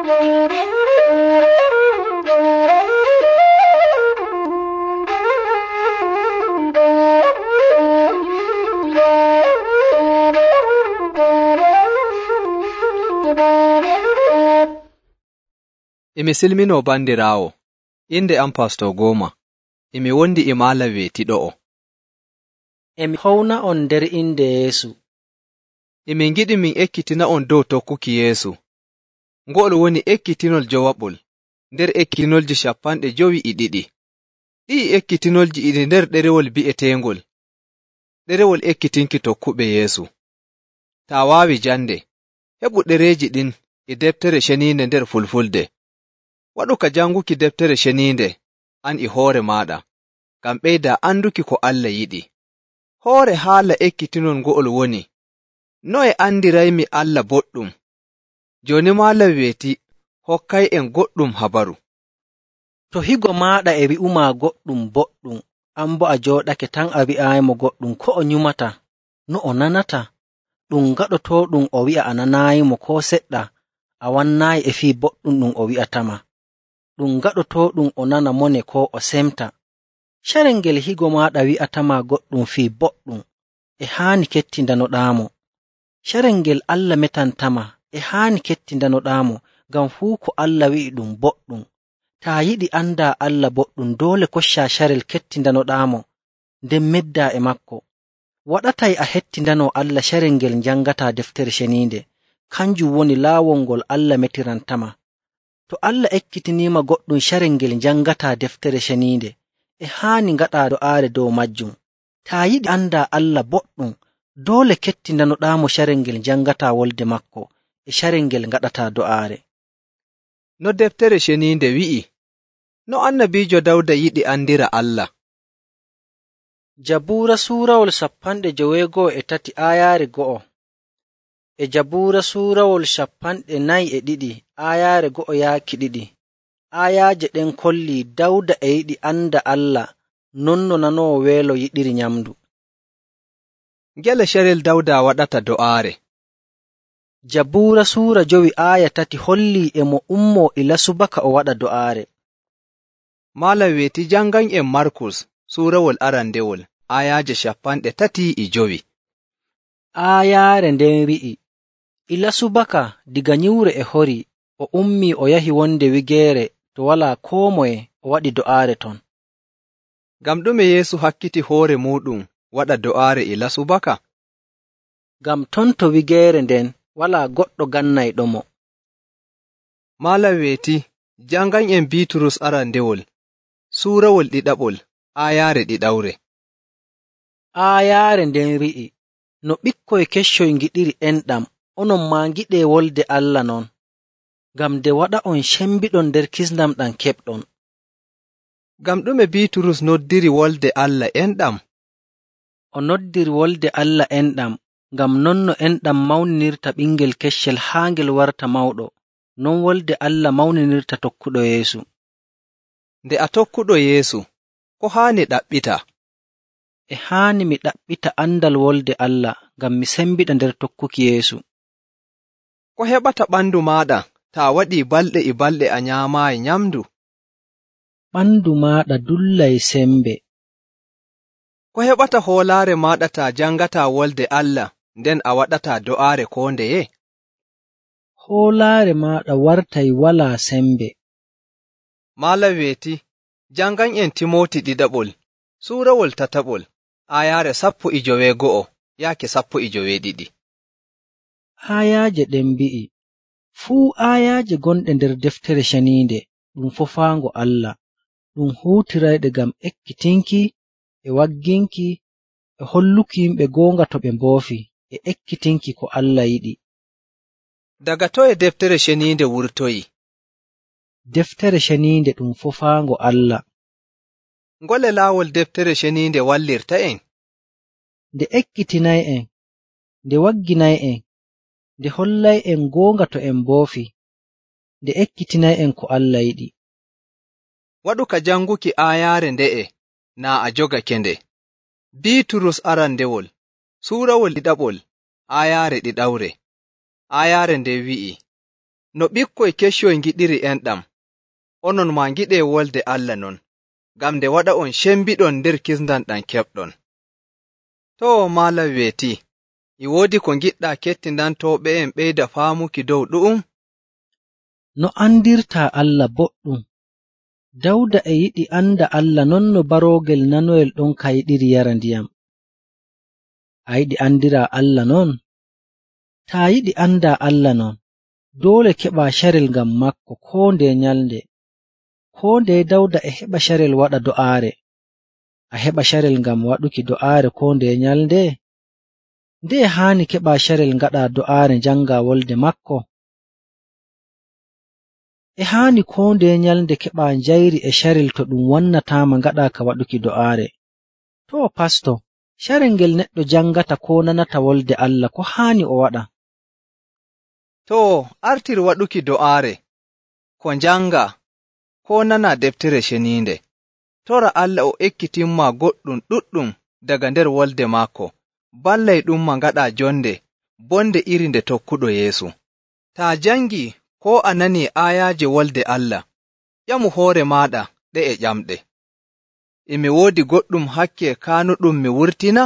Emi silminoo bandiraawo, inde am Pastor Goma, emi wondi e maala weetiɗo'o. Emi howna on nder inde Yeesu. Emi ngiɗi min ekkitina on dow tokkuki Yeesu. Ngo'ol woni ekkitinol jowaɓol nder ekkitinolji 52. Ɗi'i ekkitinolji ɗi nder ɗerewol bi'eteengol ɗerewol ekkitinki tokkuɓe Yeesu. Taa waawi jande, heɓu ɗereeji ɗin e deftere ceniinde nder Fulfulde. Waɗu ka janguki deftere ceniinde an e hoore maaɗa, ngam ɓeyda anduki ko Allah yiɗi. Hoore haala ekkitinol ngo'ol woni, noye andiraymi Allah boɗɗum? Jooni maala weeti hokkay'en goɗɗum habaru. To higo maaɗa e wi'umaa goɗɗum boɗɗum, an bo a jooɗake tan a wi'aayimo goɗɗum ko o nyumata, no o nanata, ɗum gaɗotooɗum o wi'a a nanaayimo koo seɗɗa, a wannaayi e fii boɗɗum ɗum o wi'atama. Ɗum gaɗotooɗum o nana mone koo o semta. Carel ngel higo maaɗa wi'atamaa goɗɗum fii boɗɗum, e haani kettindanoɗaamo. Carel ngel Allah metantama, e haani kettindanoɗaamo, ngam fuu ko Allah wi'i ɗum boɗɗum. Taa yiɗi andaa Allah boɗɗum, doole koccaa carel kettindanoɗaamo, nden meddaa e makko. Waɗatay a hettindanoo Allah carel ngel njangataa deftere ceniinde, kanjum woni laawol ngol Allah metirantama. To Allah ekkitiniima goɗɗum carel ngel njangataa deftere ceniinde, e haani ngaɗaa do'aare dow majjum. Taa yiɗi andaa Allah boɗɗum, doole kettindanoɗaamo carel ngel njangataa wolde makko, e carel ngel ngaɗataa do'aare. No deftere ceniinde wi'i, no annabiijo Dawda yiɗi andira Allah. Jabuura suurawol 53 aayaare 1, e Jabuura suurawol 42 aayaare 1 yaaki 2. Aayaaje ɗen kollii Dawda e yiɗi anda Allah non no nanoowo weelo yiɗiri nyamdu. Ngele carel Dawda waɗata do'aare. Jabuura suura 5 aaya 3 hollii e mo ummoo ila subaka o waɗa do'aare. Maala weeti jangan'en Markus suurawol arandewol aayaaje 35. Aayaare nden wi'i, ila subaka diga nyiwre e hori, o ummii o yahi wonde wigeere to walaa koo moye o waɗi do'aare ton. Ngam ɗume Yeesu hakkiti hoore muuɗum waɗa do'aare ila subaka? Ngam ton to wigeere nden walaa goɗɗo gannayɗomo. Maala weeti jangan'en Biiturus arandewol suurawol 2 aayaare 2. Aayaare nden wi'i, no ɓikkoy keccoy ngiɗiri enɗam, onon maa ngiɗee wolde Allah non, ngam nde waɗa on cembiɗon nder kisndam ɗam keɓɗon. Ngam ɗume Biiturus noddiri wolde Allah enɗam? O noddiri wolde Allah enɗam, ngam non no enɗam mawninirta ɓingel keccel haa ngel warta mawɗo, non wolde Allah mawninirta tokkuɗo Yeesu. Nde a tokkuɗo Yeesu, ko haani ɗaɓɓita? E haani mi ɗaɓɓita andal wolde Allah, ngam mi sembiɗa nder tokkuki Yeesu. Ko heɓata ɓandu maaɗa taa waɗii balɗe e balɗe a nyaamaayi nyamdu? Ɓandu maaɗa dullay sembe. Ko heɓata hoolaare maaɗa taa jangataa wolde Allah nden a waɗataa do'aare koo ndeye? Hoolaare maaɗa wartay walaa sembe. Maala weeti jangan'en Timooti 2 suurawol 3 aayaare 19 yaaki 22. Aayaaje ɗen mbi'i, fuu aayaaje gonɗe nder deftere ceniinde ɗum fofaango Allah, ɗum huutirayɗe ngam ekkitinki, e wagginki, e holluki yimɓe goonga to ɓe mboofi, e ekkitinki ko Allah yiɗi. Daga toye deftere ceniinde wurtoyi? Deftere ceniinde ɗum fofaango Allah. Ngole laawol deftere ceniinde wallirta'en? Nde ekkitinay'en, nde wagginay'en, nde hollay'en goonga to en mboofi, nde ekkitinay'en ko Allah yiɗi. Waɗu ka janguki aayaare nde'e naa a jogake nde. Biiturus arandewol suurawol 2 aayaare 2. Aayaare nde wi'i, No ɓikkoy keccoy ngiɗiri enɗam, onon maa ngiɗee wolde Allah non, ngam nde waɗa on cembiɗon nder kisndam ɗam keɓɗon. Too maalam weetii, e woodi ko ngiɗɗaa kettindantooɓe'en ɓeyda faamuki dow ɗu'um? No andirtaa Allah boɗɗum. Dawda e yiɗi anda Allah non no baroogel nanoyel ɗon ka yiɗiri yara ndiyam. A yiɗi andiraa Allah non? Taa yiɗi andaa Allah non, doole keɓaa carel ngam maako koo ndeye nyalnde. Koo ndeye Dawda e heɓa carel waɗa do'aare. A heɓa carel ngam waɗuki do'aare koo ndeye nyalnde? Ndeye haani keɓaa carel ngaɗaa do'aare njangaa wolde maako? E haani koo ndeye nyalnde keɓaa njayri e carel to ɗum wannataama ngaɗaa ka waɗuki do'aare. Too pasto, carel ngel neɗɗo jangata koo nanata wolde Allah ko haani o waɗa? Too, artir waɗuki do'aare, ko njanga, koo nana deftere ceniinde. Tora Allah o ekkitinma goɗɗum ɗuɗɗum daga nder wolde maako, ballay ɗumma ngaɗaa jonde, bonde iri nde tokkuɗo Yeesu. Taa jangi koo a nani aayaaje wolde Allah, ƴamu hoore maaɗa ɗe'e ƴamɗe. E mi woodi goɗɗum hakke kaanuɗum mi wurtina?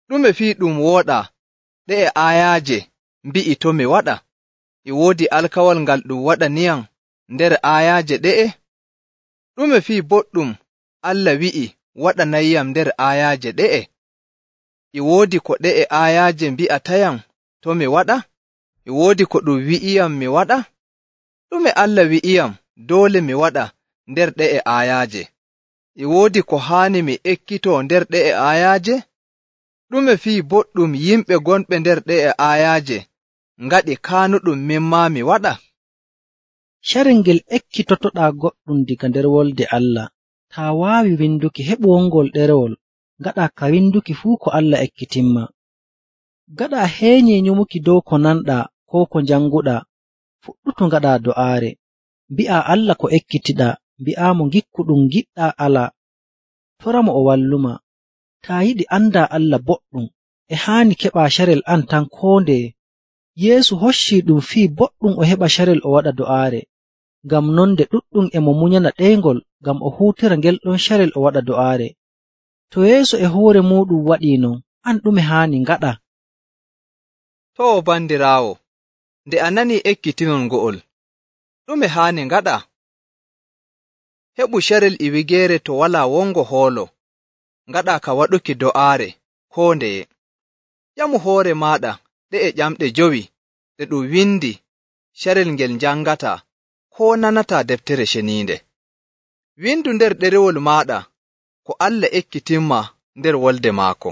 Ɗume fii ɗum wooɗaa ɗe'e aayaaje mbi'i to mi waɗa? E woodi alkawal ngal ɗum waɗaniyam nder aayaaje ɗe'e? Ɗume fii boɗɗum Allah wi'i waɗanayyam nder aayaaje ɗe'e? E woodi ko ɗe'e aayaaje mbi'atayam to mi waɗa? E woodi ko ɗum wi'iyam mi waɗa? Ɗume Allah wi'iyam doole mi waɗa nder ɗe'e aayaaje? E woodi ko haani mi ekkitoo nder ɗe'e aayaaje? Ɗume fii boɗɗum yimɓe gonɓe nder ɗe'e aayaaje ngaɗi kaanuɗum min maa mi waɗa? Carel ngel ekkitotoɗaa goɗɗum diga nder wolde Allah. Taa waawi winduki, heɓu wongol ɗerewol, ngaɗaa ka winduki fuu ko Allah ekkitinma. Gaɗaa heenyee nyumuki dow ko nanɗaa koo ko njanguɗaa, fuɗɗutu ngaɗaa do'aare. Mbi'aa Allah ko ekkitiɗaa, mbi'aamo ngikku ɗum giɗɗaa alaa. Toramo o walluma. Taa yiɗi andaa Allah boɗɗum, e haani keɓaa carel an tan koo ndeye. Yeesu hoccii ɗum fii boɗɗum o heɓa carel o waɗa do'aare. Ngam non nde ɗuɗɗum e mo munyana ɗeyngol ngam o huutira ngel ɗon carel o waɗa do'aare. To Yeesu e hoore muuɗum waɗii non, an ɗume haani ngaɗa? Too bandiraawo, nde a nanii ekkitinol ngo'ol, ɗume haani ngaɗa? Heɓu carel e wigeere to walaa wongo hoolo, ngaɗaa ka waɗuki do'aare koo ndeye. Ƴamu hoore maaɗa ɗe'e ƴamɗe 5 ɗe ɗum windi carel ngel njangataa koo nanataa deftere ceniinde. Windu nder ɗerewol maaɗa ko Allah ekkitinma nder wolde maako.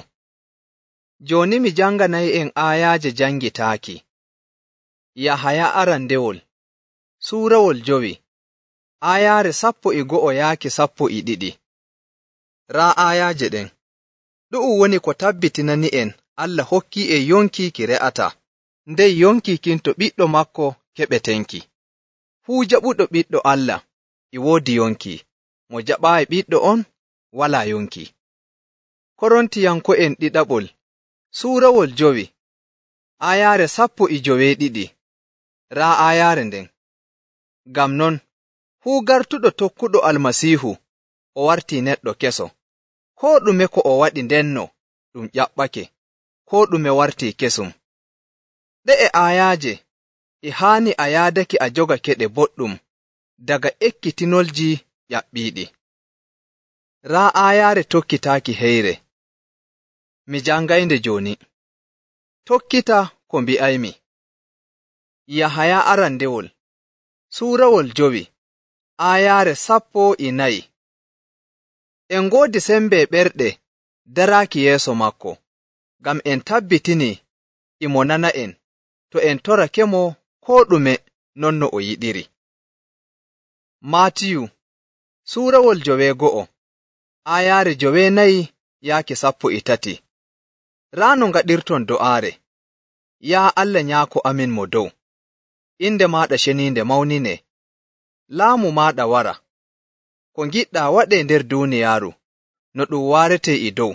Jooni mi janganay'en aayaaje jangitaaki. Yahaya arandewol, suurawol 5, aayaare 11 yaaki 12. Raa aayaaje ɗen, ɗu'um woni ko tabbitinani'en Allah hokkii'en yonki ki re'ataa, nden yonki kin to ɓiɗɗo maako keɓetenki. Fuu jaɓuɗo ɓiɗɗo Allah e woodi yonki, mo jaɓaayi ɓiɗɗo on walaa yonki. Korontiyanko'en ɗiɗaɓol, suurawol 5, aayaare 12. Raa aayaare nden. Ngam non, fuu gartuɗo tokkuɗo Almasiihu o wartii neɗɗo keso. Koo ɗume ko o waɗi ndenno ɗum ƴaɓɓake, koo ɗume wartii kesum. Ɗe'e aayaaje e haani a yaadake a jogake ɗe boɗɗum daga ekkitinolji ƴaɓɓiiɗi. Raa aayaare tokkitaaki heyre. Mi jangaynde jooni. Tokkita ko mbi'aymi. Yahaya arandewol, suurawol 5, aayaare 14. En ngoodi sembe ɓerɗe daraaki yeeso maako, ngam en tabbitini e mo nana'en to en torakemo koo ɗume non no o yiɗiri. Maatiyu, suurawol 9, aayaare 9 yaaki 13. Raa no ngaɗirton do'aare. Yaa Allah Nyaako amin mo dow, inde maaɗa ceniinde mawninee, laamu maaɗa wara, ko ngiɗɗaa waɗee nder duuniyaaru, no ɗum waaretee e dow.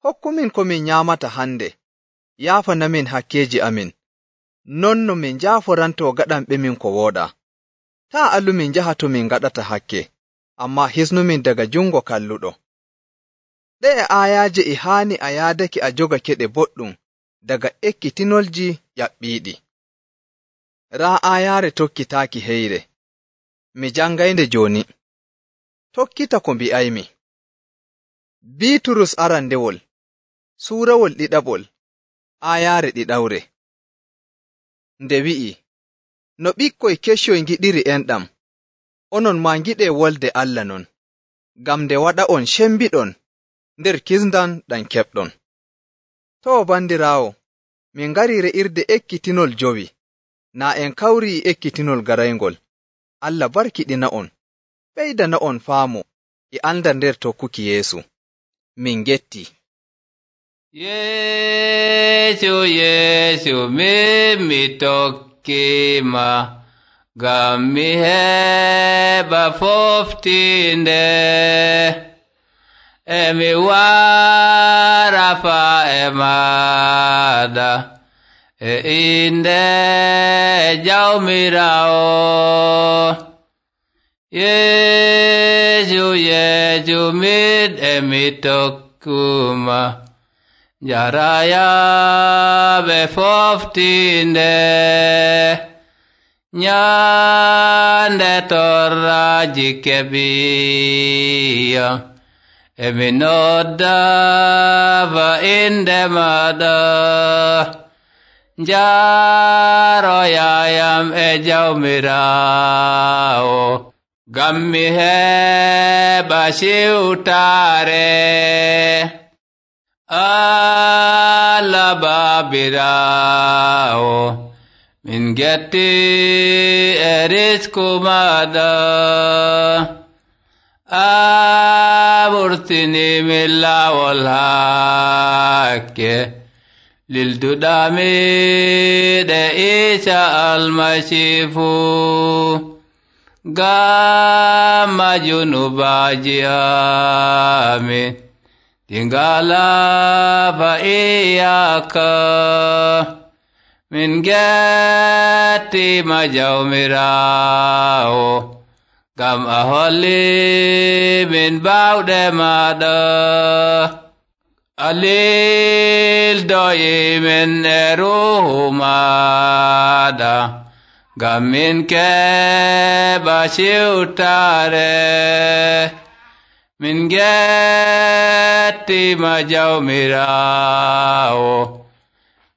Hokkumin ko min nyaamata hande, yaafanamin hakkeeji amin, non no min njaaforantoo gaɗanɓemin ko wooɗaa. Taa allumin njaha to min ngaɗata hakke, ammaa hisnumin daga jungo kalluɗo. Ɗe'e aayaaje e haani a yaadake a jogakeɗe boɗɗum daga ekkitinolji ƴaɓɓiiɗi. Raa aayaare tokkitaaki heyre. Mi jangaynde jooni. Tokkita ko mbi'aymi. Biiturus arandewol, suurawol ɗiɗaɓol, aayaare ɗiɗawre. Nde wi'i, no ɓikkoy keccoy ngiɗiri enɗam, onon maa ngiɗee wolde Allah non, ngam nde waɗa'on cembiɗon nder kisndam ɗam keɓɗon. Too bandiraawo, min ngarii re'irde ekkitinol jowi, naa en kawrii ekkitinol garayngol. Allah barkiɗina'on, ɓeydana'on faamu e andal nder tokkuki Yeesu. Min getti. Yeesu mi tokkima, ngam mi heɓa foftinde, mi wara faa e maaɗa, inde Jawmiraawo. Yeesu mi tokkuma, jarayaaɓe foftinde, nyande torraaji keɓiya, mi nodda fa inde maaɗa, njaroyayam e Jawmiraawo, ngam mi heɓa siwtaare. Allah Baabiraawo, min getti e risku maaɗa, ɓurtini min laawol hakke, lilduɗami ɗe Iisa Almasiihu, ngam junubaaji amin ɗi ngalaa iyaka. Min gettima Jawmiraawo, ngam a holli min bawɗe maaɗa, a lildoyi min e ruuhu maaɗa, ngam min keɓa siwtaare. Min gettima Jawmiraawo,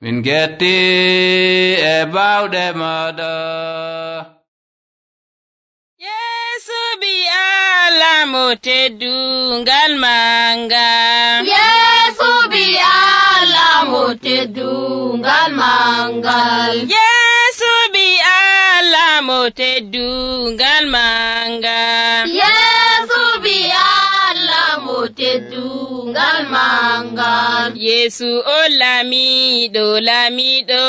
min getti e bawɗe maaɗa. Yeesu bi Allah mo teddungal manga. Yeesu bi Allah mo teddungal mangal. Yeesu bi Allah mo teddungal manga. Yeesu bi Allah mo teddungal mangal. Yeesu o lamiɗo lamiɗo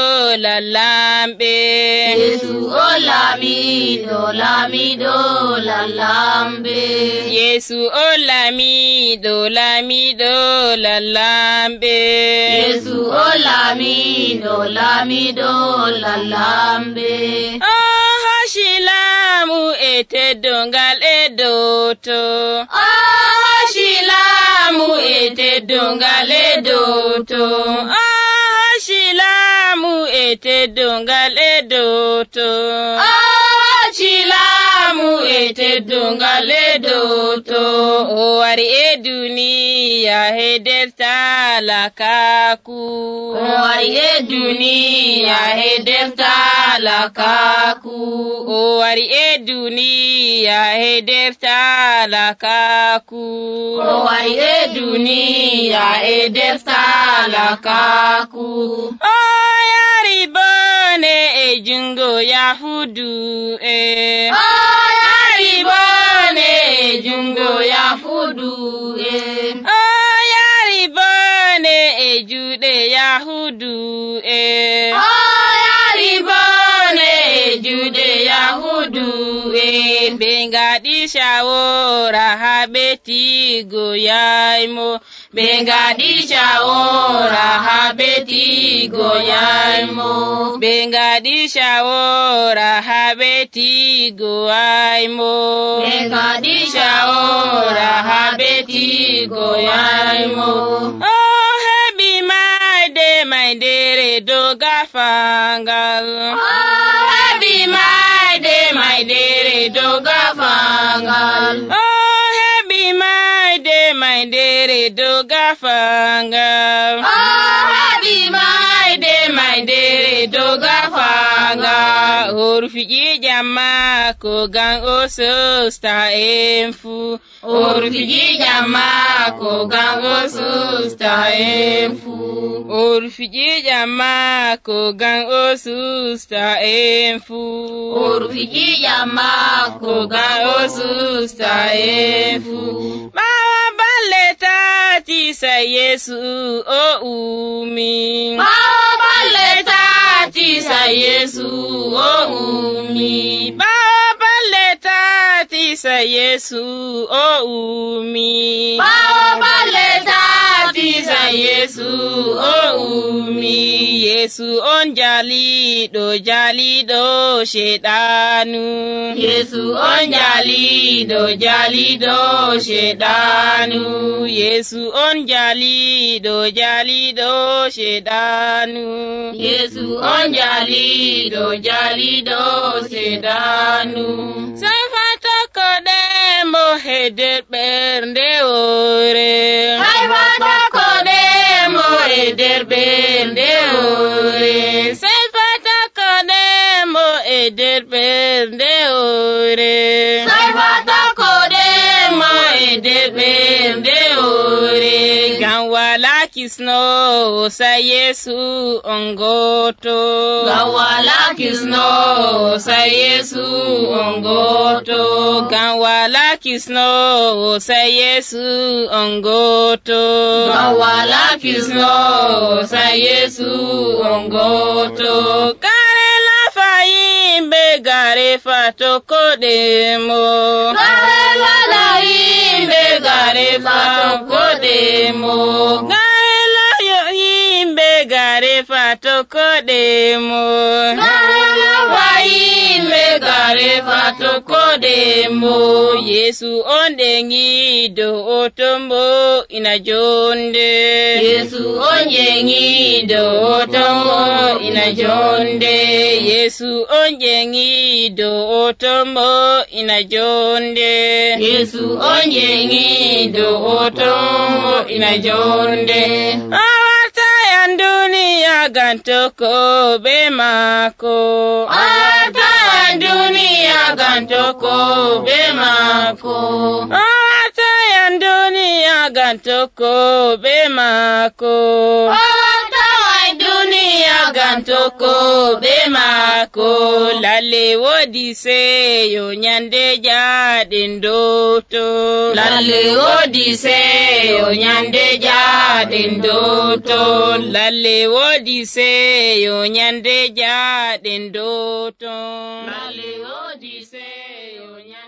lallamɓe. Yeesu o lamiɗo lamiɗo lallamɓe. Yeesu o lamiɗo lamiɗo lallamɓe. Yeesu o lamiɗo lamiɗo lallamɓe. O hoshi laamu e teddongal e doto. O hoshi laamu e teddongal e doto. O hoshi laamu e teddongal e doto. O hoshi laamu e teddongal e doto. O wari e duniya he nder talakaku. O wari e duniya he nder talakaku. O wari e duniya he nder talakaku. O wari e duniya e nder talakaku. O yari bone e jungo Yahudu e. O yari bone e jungo Yahudu e. O yari bone e juɗe Yahudu e. O yari bone e juɗe Yahudu e. ɓe ngaɗi shawora haa ɓe tiigo yaymo. ɓe ngaɗi shawora haa ɓe tiigo yaymo. ɓe ngaɗi shawora haa ɓe tiigo waymo. ɓe ngaɗi shawora haa ɓe tiigo yaymo. O heɓi maydere dow gafangal. O heɓi maydere dow gafangal. O heɓi maydere dow gafangal. O heɓi maydere dow gafangal. O rufiƴi jamma ko gan o sosta en fuu. O rufiƴi jamma ko gan o sosta en fuu. O rufiƴi jamma ko gan o sosta en fuu. O rufiƴi jamma ko gan o sosta en fuu. Ɓaawo balle tati sai Yesu o umi. Ɓaawo balle tati sai Yesu o umi. Ɓaawo balle tati sai Yesu o umi. Ɓaawo balle tati sai Yesu o umi. Yesu on jaliɗo sheɗanu. Yesu on jaliɗo sheɗanu. Yesu on jaliɗo sheɗanu. Yesu on jaliɗo sheɗanu. Sai fatakoɗemo he nder ɓernde woore. Sai fatakoɗemo he nder ɓernde woore. Sai fatakoɗemo e nder ɓernde woore. Sai fatakoɗemo e nder ɓernde woore. Ngam wala kisnowo sai Yesu on goto. Ngam wala kisnowo sai Yesu on goto. Ngam wala kisnowo sai Yesu on goto. Ngam wala kisnowo sai Yesu on goto. Gare lafa yimɓe gare fatakoɗemo. Gare lafa yimɓe gare fatakoɗemo. Gare layo yimɓe gare fatakoɗemo. Gare lafa yimɓe gare fatakoɗemo. Yesu on ɗeŋiɗo o tombo ina jonde. Yesu on ɗeŋiɗo o tombo ina jonde. Yesu on ɗeŋiɗo o tombo ina jonde. Yesu on ɗeŋiɗo o tombo ina jonde. Awatayan duniya gantoko be mako. Awatayan duniya gantoko be mako. Awatayan duniya gantoko be mako. Awatayan duniya gantoko be mako. Lalle wodi seyo nyande jaɗen doto. Lalle wodi seyo nyande jaɗen doto. Lalle wodi seyo nyande jaɗen doto. Lalle wodi seyo nyande